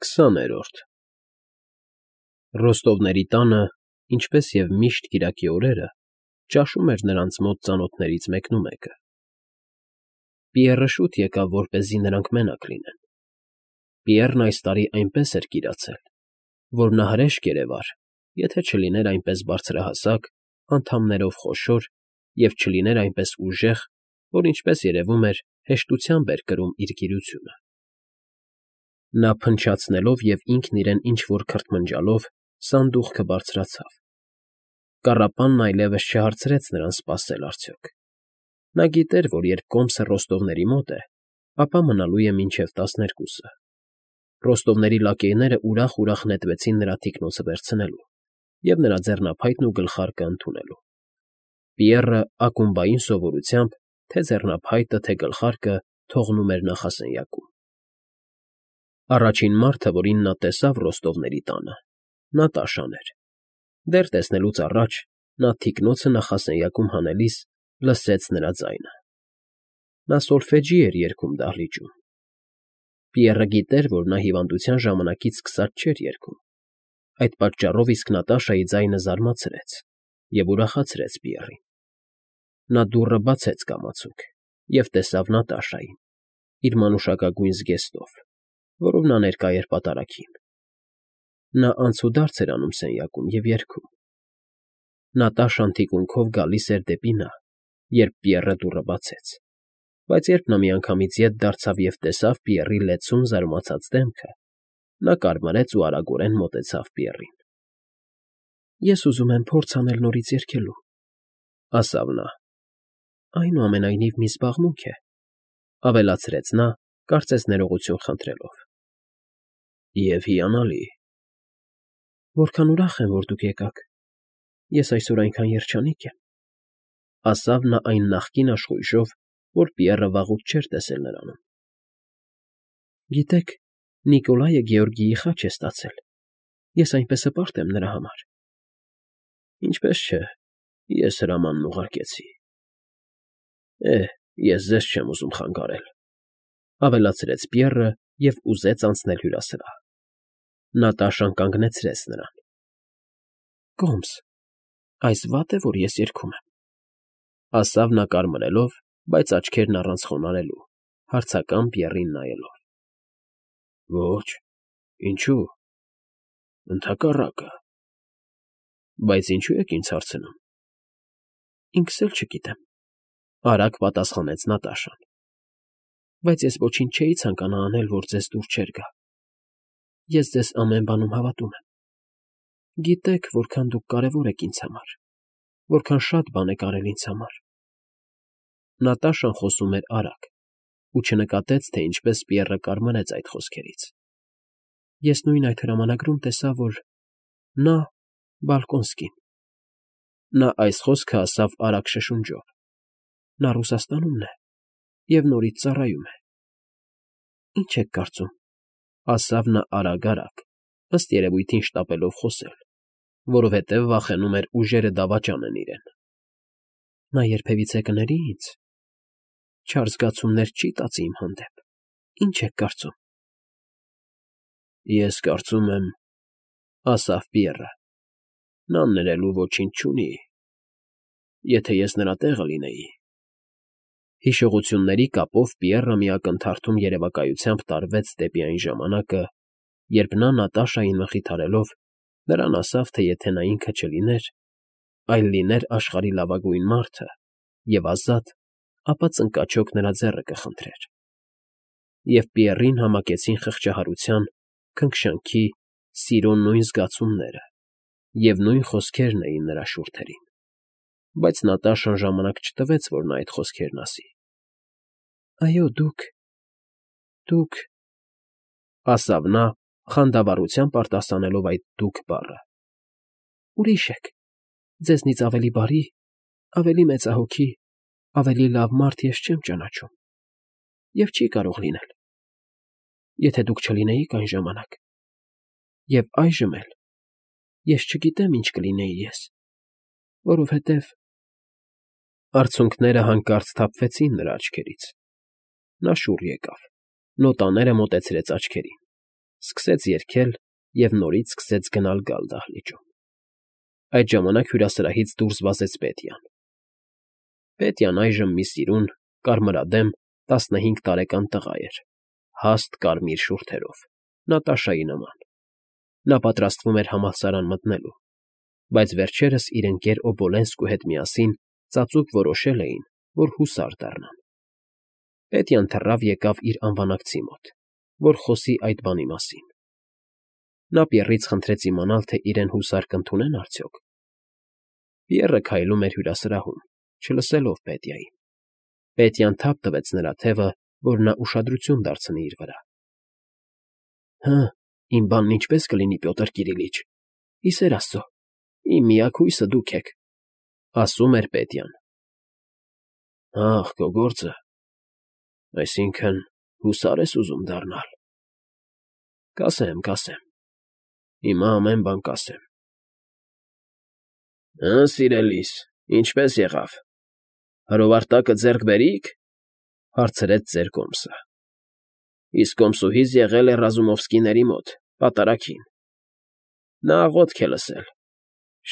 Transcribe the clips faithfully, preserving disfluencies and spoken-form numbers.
Քսաներորդ Ռոստովների տանը, ինչպես և միշտ կիրակի օրերը, ճաշում էր նրանց մոտ ծանոթներից մեկնումեկը. Պիեռը շուտ եկավ, որպեսզի նրանք մենակ լինեն. Պիեռն այս տարի այնպես էր կիրացել, որ նա հրեշ երևար, եթե չլիներ այնպես բարձրահասակ, անդամներով խոշոր և չլիներ այնպես ուժեղ, որ, ինչպես երևում էր, հեշտությամբ էր կրում իր գիրությունը. Նա փնչացնելով և ինքն իրեն ինչ֊որ քրթմնջալով սանդուղքը բարձրացավ. կառապանն այլևս չհարցրեց նրան սպասել արդյոք. նա գիտեր, որ երբ կոմսը Ռոստովների մոտ է, ապա մնալու է մինչև տասներկուսը. Ռոստովների լակեյները ուրախ֊ուրախ նետվեցին նրա թիկնոցը վերցնելու և նրա ձեռնափայտն ու գլխարկը ընդունելու. Պիեռը ակումբային սովորությամբ թե՛ ձեռնափայտը, թե՛ գլխարկը թողնում էր նախասենյակում. Առաջին մարդը, որին նա տեսավ Ռոստովների տանը, Նատաշան էր. դեռ տեսնելուց առաջ նա թիկնոցը նախասենյակում հանելիս լսեց նրա ձայնը. նա սոլֆեջի էր երգում դահլիճում. Պիեռը գիտեր, որ նա հիվանդության ժամանակից սկսած չէր երգում, այդ պատճառով իսկ Նատաշայի ձայնը զարմացրեց և ուրախացրեց Պիեռին. նա դուռը բացեց կամացուկ և տեսավ Նատաշային, իր մանուշակագույն զգեստով, որով նա ներկա էր պատարագին. նա անցուդարձ էր անում սենյակում և երգում. Նատաշան թիկունքով գալիս էր դեպի նա, երբ Պիեռը դուռը բացեց, բայց երբ նա միանգամից ետ դարձավ և տեսավ Պիեռի լեցուն զարմացած դեմքը, նա կարմրեց ու արագորեն մոտեցավ Պիեռին. ֊ Ես ուզում եմ փորձ անել նորից երգելու, ֊ ասավ նա։ ֊ Այնուամենայնիվ մի զբաղմունք է, ֊ ավելացրեց նա, կարծես ներողություն խնդրելով։ ֊ Եվ հիանալի։ ֊ Որքան ուրախ եմ, որ դուք եկաք, ես այսօր այնքան երջանիկ եմ, ֊ ասավ նա այն նախկին աշխույժով, որ Պիեռը վաղուց չէր տեսել նրանում։ ֊ Գիտեք, Նիկոլայը Գեորգիի խաչ է ստացել, ես այնպես հպարտ եմ նրա համար։ ֊ Ինչպես չէ, ես հրամանն ուղարկեցի։ ֊ Է՛հ, ես ձեզ չեմ ուզում խանգարել, ֊ ավելացրեց Պիեռը և ուզեց անցնել հյուրասրահ. Նատաշան կանգնեցրեց նրան. ֊ Կոմս, այս վա՞տ է, որ ես երգում եմ, ֊ ասավ նա կարմրելով, բայց աչքերն առանց խոնարհելու, հարցական Պիեռին նայելով։ ֊ Ոչ, ինչո՞ւ, ընդհակառակը։ ֊ Բայց ինչո՞ւ եք ինձ հարցնում։ ֊ Ինքս էլ չգիտեմ, ֊ արագ պատասխանեց Նատաշան։ ֊ Բայց ես ոչինչ չէի ցանկանա անել, որ ձեզ դուր չէր գա։ Ես ձեզ ամեն բանում հավատում եմ։ Գիտեք, որքան դուք կարևոր եք ինձ համար, որքան շատ բան եք արել ինձ համար։ Նատաշան խոսում էր արագ ու չնկատեց, թե ինչպես Պիեռը կարմրեց այդ խոսքերից. Ես նույն այդ հրամանագրում տեսա, որ նա՝ Բալկոնսկին։ Նա այս խոսքը ասավ արագ շշունջով. նա Ռուսաստանումն է և նորից ծառայում է։ ֊ Ինչ եք կարծում, ֊ ասավ նա արագ֊արագ, ըստ երևույթին շտապելով խոսել, որովհետև վախենում էր ուժերը դավաճանեն իրեն։ ֊ Նա երբևիցե կների ինձ, չար զգացումներ չի տածի իմ հանդեպ, ինչ եք կարծում։ ֊ Ես կարծում եմ, ֊ ասավ Պիեռը, ֊ նա ներելու ոչինչ չունի, եթե ես նրա տեղը լինեի։ Հիշողությունների կապով Պիեռը մի ակնթարթում երևակայությամբ տարվեց դեպի այն ժամանակը, երբ նա Նատաշային մխիթարելով նրան ասավ, թե եթե նա ինքը չլիներ, այլ լիներ աշխարհի լավագույն մարդը և ազատ, ապա ծնկաչոք նրա ձեռքը կխնդրեր։ Եվ Պիեռին համակեցին խղճահարության, քնքշանքի, սիրո նույն զգացումները և նույն խոսքերն էին նրա շուրթերին, բայց Նատաշան ժամանակ չտվեց, որ նա այդ խոսքերն ասի։ ֊ Այո, դուք, դուք, ֊ ասավ նա, խանդավառությամբ արտասանելով այդ դուք բառը, ֊ ուրիշ եք, ձեզնից ավելի բարի, ավելի մեծահոգի, ավելի լավ մարդ ես չեմ ճանաչում և չի կարող լինել, եթե դուք չլինեիք այն ժամանակ, և այժմ էլ ես չգիտեմ ինչ կլինեի ես, որովհետև… Արցունքները հանկարծ թափվեցին նրա աչքերից, նա շուռ եկավ, նոտաները մոտեցրեց աչքերին, սկսեց երգել և նորից սկսեց գնալ֊գալ դահլիճում։ Այդ ժամանակ հյուրասրահից դուրս վազեց Պետյան։ Պետյան այժմ մի սիրուն, կարմրադեմ, տասնհինգ տարեկան տղա էր, հաստ կարմիր շուրթերով, Նատաշայի նման։ Նա պատրաստվում էր համալսարան մտնելու, բայց վերջերս իր ընկեր Օբոլենսկու հետ միասին ծածուկ որոշել էին, որ հուսար դառնան։ Պետյան թռավ եկավ իր անվանակցի մոտ, որ խոսի այդ բանի մասին։ Նա Պիեռից խնդրեց իմանալ, թե իրեն հուսար կընդունեն արդյոք։ Պիեռը քայլում էր հյուրասրահում, չլսելով Պետյային։ Պետյան թափ տվեց նրա թևը, որ նա ուշադրություն դարձնի իր վրա։ ֊ Հը, իմ բանն ինչպե՞ս կլինի, Պյոտր Կիրիլիչ, իսեր աստծո, իմ միակ հույսը դուք եք,֊ ասում էր Պետյան։ ֊ Ա՜խ, քո գործը… Այսինքն՝ հուսա՞ր ես ուզում դառնալ։ ֊ Կասեմ, կասեմ, հիմա ամեն բան կասեմ։ ֊ Հը, սիրելիս, ինչպե՞ս եղավ, հրովարտակը ձեռք բերի՞ք,֊ հարցրեց ծեր կոմսը։ ֊ Իսկ կոմսուհիս եղել է Ռազումովսկիների մոտ, պատարագին. նա աղոթք է լսել,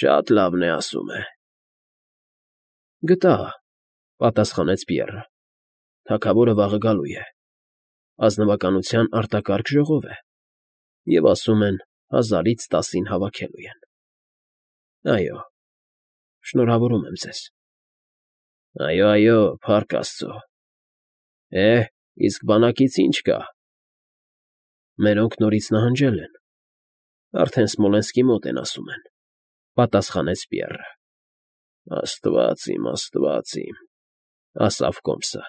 շատ լավն է, ասում է։ ֊ Գտա,֊ պատասխանեց Պիեռը,֊ թագավորը վաղը գալու է, ազնվականության արտակարգ ժողով է, և ասում են, հազարից տասին հավաքելու են։ ֊ Այո, շնորհավորում եմ ձեզ։ ֊ Այո, այո, փառք աստծո։ Է, իսկ բանակից ի՞նչ կա։ ֊ Մերոնք նորից նահանջել են, արդեն Սմոլենսկի մոտ են, ասում են,֊ պատասխանեց Պիեռը։ ֊ Աստված իմ, աստված իմ,֊ ասավ կոմսը,֊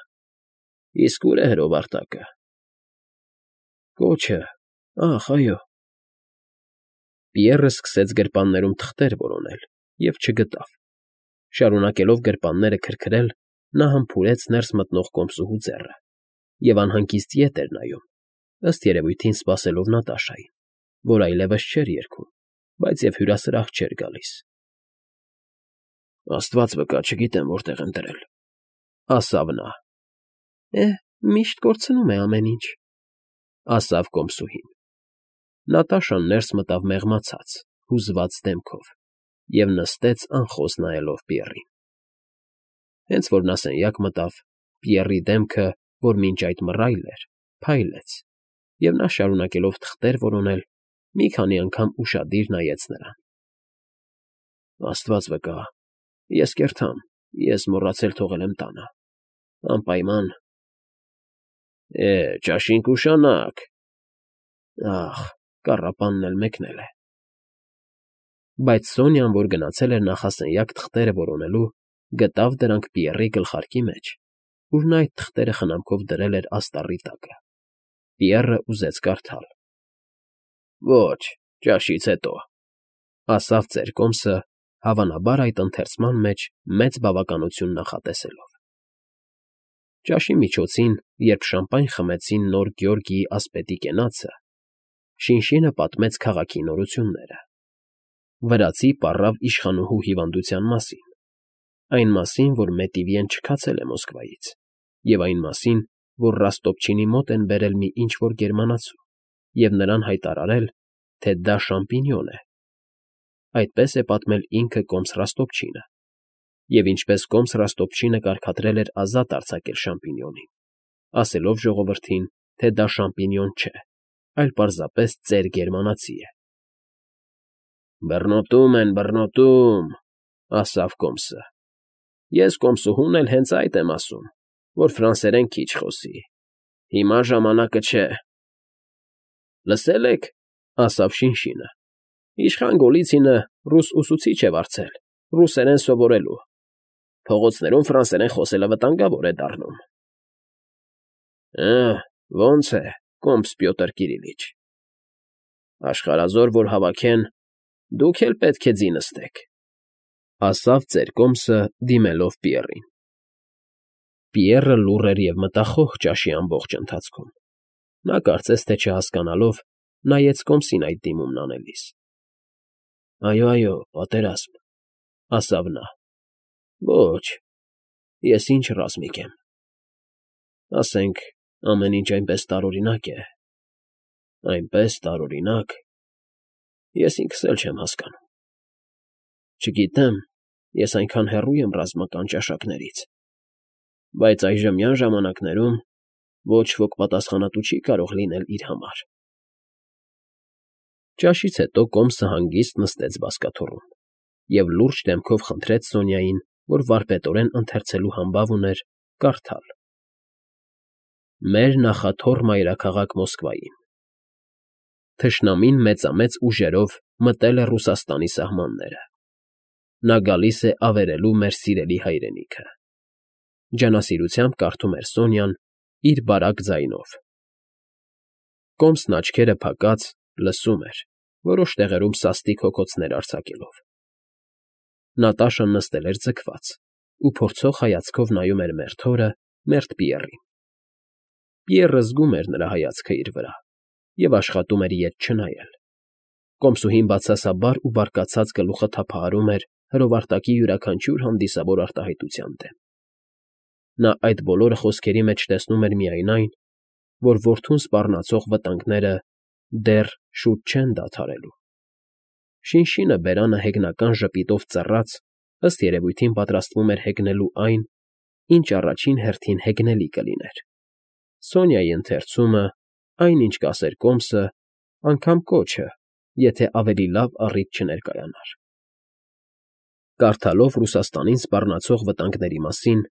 իսկ ո՞ւր է հրովարտակը։ ֊ Կոչը, ախ, այո։ Պիեռը սկսեց գրպաններում թղթեր որոնել և չգտավ։ Շարունակելով գրպանները քրքրել, նա համբուրեց ներս մտնող կոմսուհու ձեռը և անհանգիստ ետ էր նայում, ըստ երևույթին սպասելով Նատաշային, որ այլևս չէր երգում, բայց և հյուրասրահ չէր գալիս։ ֊ Աստված վկա, չգիտեմ որտեղ եմ դրել,֊ ասավ նա։ ֊ Է, միշտ կորցնում է ամեն ինչ,֊ ասավ կոմսուհին։ Նատաշան ներս մտավ մեղմացած, հուզված դեմքով և նստեց անխոս նայելով Պիեռին։ Հենց որ նա սենյակ մտավ, Պիեռի դեմքը, որ մինչ այդ մռայլ էր, փայլեց, և նա, շարունակելով թղթեր որոնել, մի քանի անգամ ուշադիր նայեց նրան։ ֊ Աստված վկա, ես կերթամ, ես մոռացել թողել եմ տանը, անպայման… Է, ճաշին կուշանա՜ք… Ախ, կառապանն էլ մեկնել է… Բայց Սոնյան, որ գնացել էր նախասենյակ թղթերը որոնելու, գտավ դրանք Պիեռի գլխարկի մեջ, ուր նա այդ թղթերը խնամքով դրել էր աստառի տակը։ Պիեռը ուզեց կարդալ։ ֊ Ոչ, ճաշից հետո,֊ ասավ ծեր կոմսը, հավանաբար այդ ընթերցման մեջ մեծ բավականություն նախատեսելով։ Ճաշի միջոցին, երբ շամպայն խմեցին նոր Գեորգիի ասպետի կենացը, Շինշինը պատմեց քաղաքի նորությունները։ Վրացի պառավ իշխանուհու հիվանդության մասին, այն մասին, որ Մետիվիեն չքացել է Մոսկվայից, և այն մասին, որ Ռոստոպչինի մոտ են բերել մի ինչ֊որ գերմանացու և նրան հայտարարել, թե դա շամպինյոն է (այդպես է պատմել ինքը կոմս Ռոստոպչինը), և ինչպես կոմս Ռոստոպչինը կարգադրել էր ազատ արձակել շամպինյոնին, ասելով ժողովրդին, թե դա շամպինյոն չէ, այլ պարզապես ծեր գերմանացի է։ ֊ Բռնոտում են, բռնոտում,֊ ասավ կոմսը։ Ես կոմսուհուն էլ հենց այդ եմ ասում, որ ֆրանսերեն քիչ խոսի, հիմա ժամանակը չէ։ ֊ Լսել եք,֊ ասավ Շինշինը,֊ իշխան Գոլիցինը ռուս ուսուցիչ է վարձել, ռուսերեն սովորելու, փողոցներում ֆրանսերեն խոսելը վտանգավոր է դառնում։ ֊ Ը՜, ո՞նց է, կոմս Պյոտր Կիրիլիչ… Աշխարհազոր որ հավաքեն, դուք էլ պետք է ձի նստեք,֊ ասավ ծեր կոմսը, դիմելով Պիեռին։ Պիեռը լուռ էր և մտախոհ ճաշի ամբողջ ընթացքում. նա կարծես թե չհասկանալով, նայեց կոմսին այդ դիմումն անելիս։ ֊ Այո, այո, պատերազմ,֊ ասավ նա։ ֊ Ոչ, ես ինչ ռազմիկ եմ… Ասենք, ամեն ինչ այնպես տարօրինակ է, Այնպես տարօրինակ, ես ինքս էլ չեմ հասկանում։ Չգիտեմ, ես այնքան հեռու եմ ռազմական ճաշակներից, բայց այժմյան ժամանակներում ոչ ոք պատասխանատու չի կարող լինել իր համար։ Ճաշից հետո կոմսը հանգիստ նստեց բազկաթոռում և լուրջ դեմքով խնդրեց Սոնյային, որ վարպետորեն ընթերցելու համբավ ուներ, կարդալ. «Մեր նախաթոռ մայրաքաղաք Մոսկվային։ Թշնամին մեծամեծ ուժերով մտել է Ռուսաստանի սահմանները։ Նա գալիս է ավերելու մեր սիրելի հայրենիքը», ջանասիրությամբ կարդում էր Սոնյան իր բարակ ձայնով։ Կոմսն աչքերը փակած լսում էր, որոշ տեղերում սաստիկ հոգոցներ արձակելով։ Նատաշան նստել էր ձգված ու փորձող հայացքով նայում էր մերթ հորը, մերթ Պիեռին։ Պիեռը զգում էր նրա հայացքը իր վրա և աշխատում էր ետ չնայել։ Կոմսուհին բացասաբար ու բարկացած գլուխը թափահարում էր հրովարտակի յուրաքանչյուր հանդիսավոր արտահայտության դեմ։ Նա այդ բոլոր խոսքերի մեջ տեսնում էր միայն այն, որ որդուն սպառնացող վտանգները դեռ շուտ չեն դադարելու։ Շինշինը բերանը հեգնական ժպիտով ծռած, ըստ երևույթին պատրաստվում էր հեգնելու այն, ինչ առաջին հերթին հեգնելի կլիներ։ Սոնյայի ընթերցումը, այն, ինչ կասեր կոմսը, անգամ կոչը, եթե ավելի լավ առիթ չներկայանար։ Կարդալով Ռուսաստանին սպառնացող վտանգների մասին,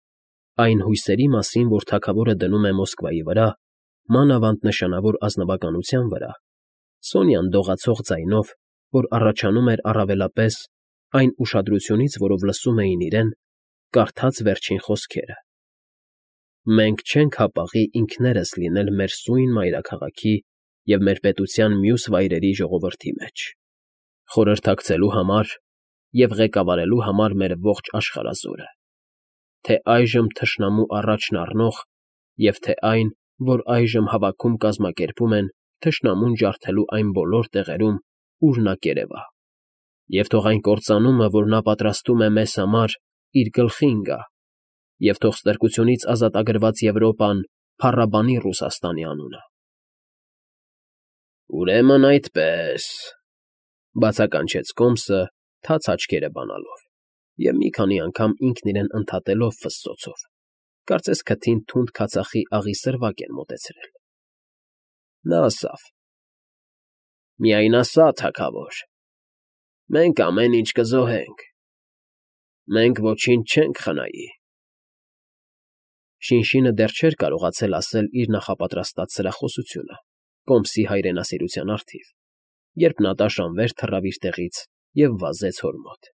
այն հույսերի մասին, որ թագավորը դնում է Մոսկվայի վրա, մանավանդ նշանավոր ազնվականության վրա, Սոնյան դողացող ձայնով, որ առաջանում էր առավելապես այն ուշադրությունից, որով լսում էին իրեն, կարդաց վերջին խոսքերը. «Մենք չենք հապաղի ինքներս լինել մեր սույն մայրաքաղաքի և մեր պետության մյուս վայրերի ժողովրդի մեջ, խորհրդակցելու համար և ղեկավարելու համար մեր ողջ աշխարհազորը, թե այժմ թշնամու առաջն առնող և թե այն, որ այժմ հավաքում կազմակերպում են թշնամուն ջարդելու այն բոլոր տեղերում, ուր նա կերևա, և թող այն կործանումը, որ նա պատրաստում է մեզ համար, իր գլխին գա, և թող ստրկությունից ազատագրված Եվրոպան փառաբանի Ռուսաստանի անունը»։ «Ուրեմն այդպես», ֊ բացականչեց կոմսը, թաց աչքերը բանալով և մի քանի անգամ ինքն իրեն ընդհատելով ֆսսոցով, կարծես քթին թունդ քացախի աղի սրվակ էր մոտեցրել։ Նա ասավ. «Միայն ասա, թագավոր, մենք ամեն ինչ կզոհենք, մենք ոչինչ չենք խնայի»։ Շինշինը դեռ չէր կարողացել ասել իր նախապատրաստած սրախոսությունը կոմսի հայրենասիրության առթիվ, երբ Նատաշան վեր թռավ իր տեղից և վազեց հոր մոտ։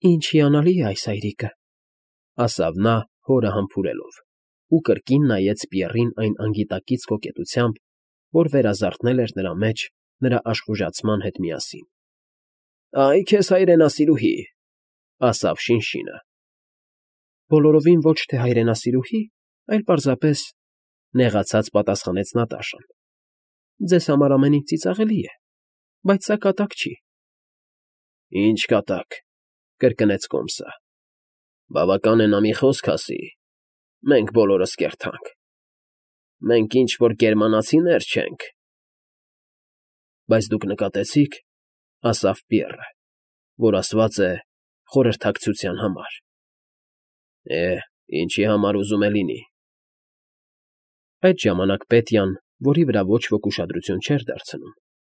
«Ինչ հիանալի է այս այրիկը», ֊ ասավ նա, հորը համբուրելով, ու կրկին նայեց Պիեռին այն անգիտակից կոկետությամբ, որ վերազարթնել էր նրա մեջ նրա աշխուժացման հետ միասին։ «Այ քեզ հայրենասիրուհի», ֊ ասավ Շինշինը։ «Բոլորովին ոչ թե հայրենասիրուհի, այլ պարզապես,֊ նեղացած պատասխանեց Նատաշան,֊ ձեզ համար ամեն ինչ ծիծաղելի է, բայց սա կատակ չի»։ «Ինչ կատակ,֊ կրկնեց կոմսը,֊ բավական է նա մի խոսք ասի, մենք բոլորս կերթանք, մենք ինչ֊որ գերմանացիներ չենք»։ «Բայց դուք նկատեցի՞ք,֊ ասավ Պիեռը,֊ որ ասված է խորհրդակցության համար»։ «Է, ինչի համար ուզում է լինի»։ Այդ ժամանակ Պետյան, որի վրա ոչ ոք ուշադրություն չէր դարձնում,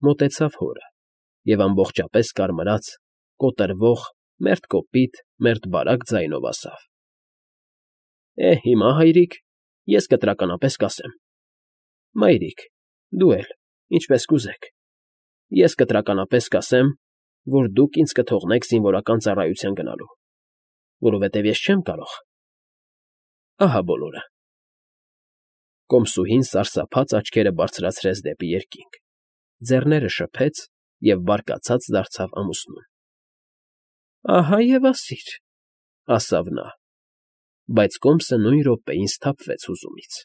մոտեցավ հորը և ամբողջապես կարմրած, կոտրվող, մերթ կոպիտ, մերթ բարակ ձայնով ասավ. «Է, հիմա, հայրիկ, ես կտրականապես կասեմ. մայրիկ, դու էլ, ինչպես կուզեք, ես կտրականապես կասեմ, որ դուք ինձ կթողնեք զինվորական ծառայության գնալու, որովհետև ես չեմ կարող… Ահա բոլորը»։ Կոմսուհին սարսափած աչքերը բարձրացրեց դեպի երկինք, ձեռները շփեց և բարկացած դարձավ ամուսնուն։ «Ահա և ասիր,֊ ասավ նա, բայց կոմսը նույն րոպեին սթափվեց հուզումից։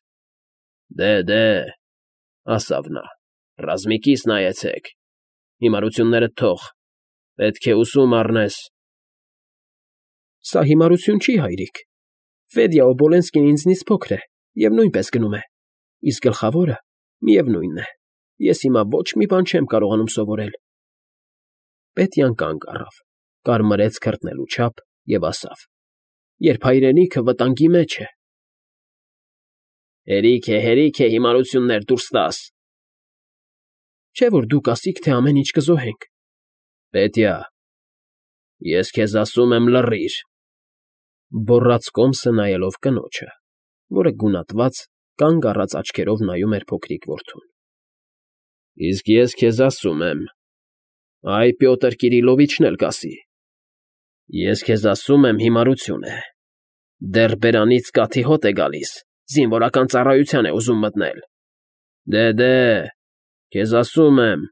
«Դե, դե,֊ ասավ նա,֊ ռազմիկիս նայեցեք, հիմարություններդ թող, պետք է ուսում առնես»։ «Սա հիմարություն չի, հայրիկ, Ֆեդյա Օբոլենսկին ինձնից փոքր է և նույնպես գնում է, իսկ գլխավորը, միևնույն է, ես հիմա ոչ մի բան չեմ կարողանում սովորել։ Պետյան կանգ առավ, կարմրեց քրտնելու չափ և ասավ. երբ հայրենիքը վտանգի մեջ է։ Հերիք է, հերիք է հիմարություններ դուրս տաս։ Չէ՞ որ դու կասիք, թե ամեն ինչ կզոհենք։ Պետյա, ես քեզ ասում եմ լռիր, բոռաց կոմսը նայելով կնոջը, որը գունատված, կանգ առած աչքերով նայում էր փոքրիկ որդուն։ Իսկ ես քեզ ասում եմ, այ Պյոտր Կիրիլովիչն էլ կասի, ես քեզ ասում եմ հիմարություն է, դեռ բերանից կաթի հոտ է գալիս, զինվորական ծառայության է ուզում մտնել, դե՛, քեզ ասում եմ…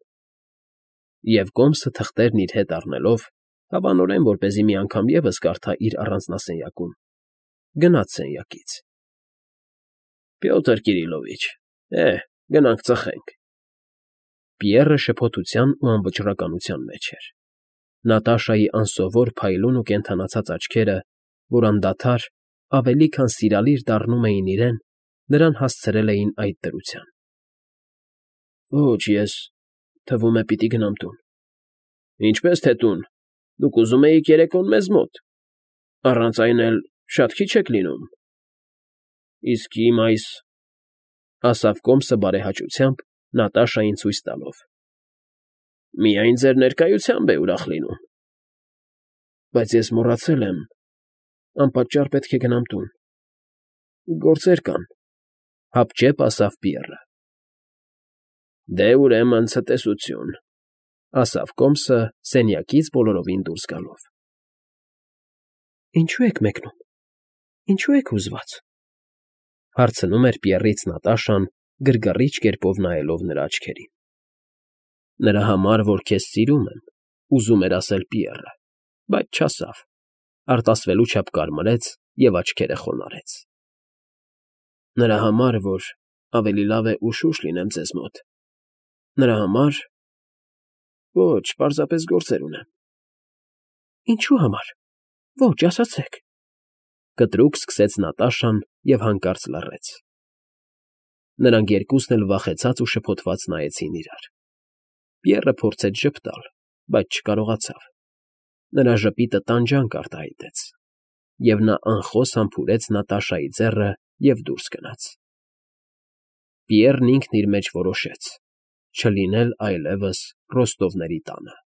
Եվ կոմսը թղթերն իր հետ առնելով, հավանորեն որպեսզի մի անգամ ևս կարդա իր առանձնասենյակում, գնաց սենյակից։ Պյոտր Կիրիլովիչ, էհ, գնանք ծխենք։ Պիեռը շփոթության ու անվճռականության մեջ էր։ Նատաշայի անսովոր փայլուն ու կենդանացած աչքերը, որ անդադար, ավելի քան սիրալիր դառնում էին իրեն, նրան հասցրել էին այդ դրության։ Ոչ, ես, թվում է, պիտի գնամ տուն։ Ինչպես թե տուն, դուք ուզում էիք երեկոն մեզ մոտ, առանց այն էլ շատ քիչ եք լինում։ Իսկ իմ այս… ասավ կոմսը բարեհաճությամբ, Նատաշային ցույց տալով. միայն ձեր ներկայությամբ է ուրախ լինում։ Բայց ես մոռացել եմ, անպատճառ պետք է գնամ տուն, գործեր կան, հապճեպ ասավ Պիեռը։ Դե, ուրեմն, ցտեսություն, ասավ կոմսը սենյակից բոլորովին դուրս գալով։ Ինչո՞ւ եք մեկնում, ինչո՞ւ եք հուզված, հարցնում էր Պիեռից Նատաշան, գրգռիչ կերպով նայելով նրա աչքերին։ Նրա համար, որ քեզ սիրում եմ, ուզում էր ասել Պիեռը, բայց չասավ, արտասվելու չափ կարմրեց և աչքերը խոնարհեց։ Նրա համար, որ ավելի լավ է ուշուշ լինեմ ձեզ մոտ, նրա համար… Ոչ, պարզապես գործեր ունեմ։ Ինչու համար, ոչ, ասացեք… Կտրուկ սկսեց Նատաշան և հանկարծ լռեց։ Նրանք երկուսն էլ վախեցած ու շփոթված նայեցին իրար։ Պիեռը փորձեց ժպտալ, բայց չկարողացավ։ Նրա ժպիտը տանջանք արտահայտեց, և նա անխոս համբուրեց Նատաշայի ձեռը և դուրս գնաց։ Պիեռն ինքն իր մեջ որոշեց՝ չլինել այլևս Ռոստովների տանը։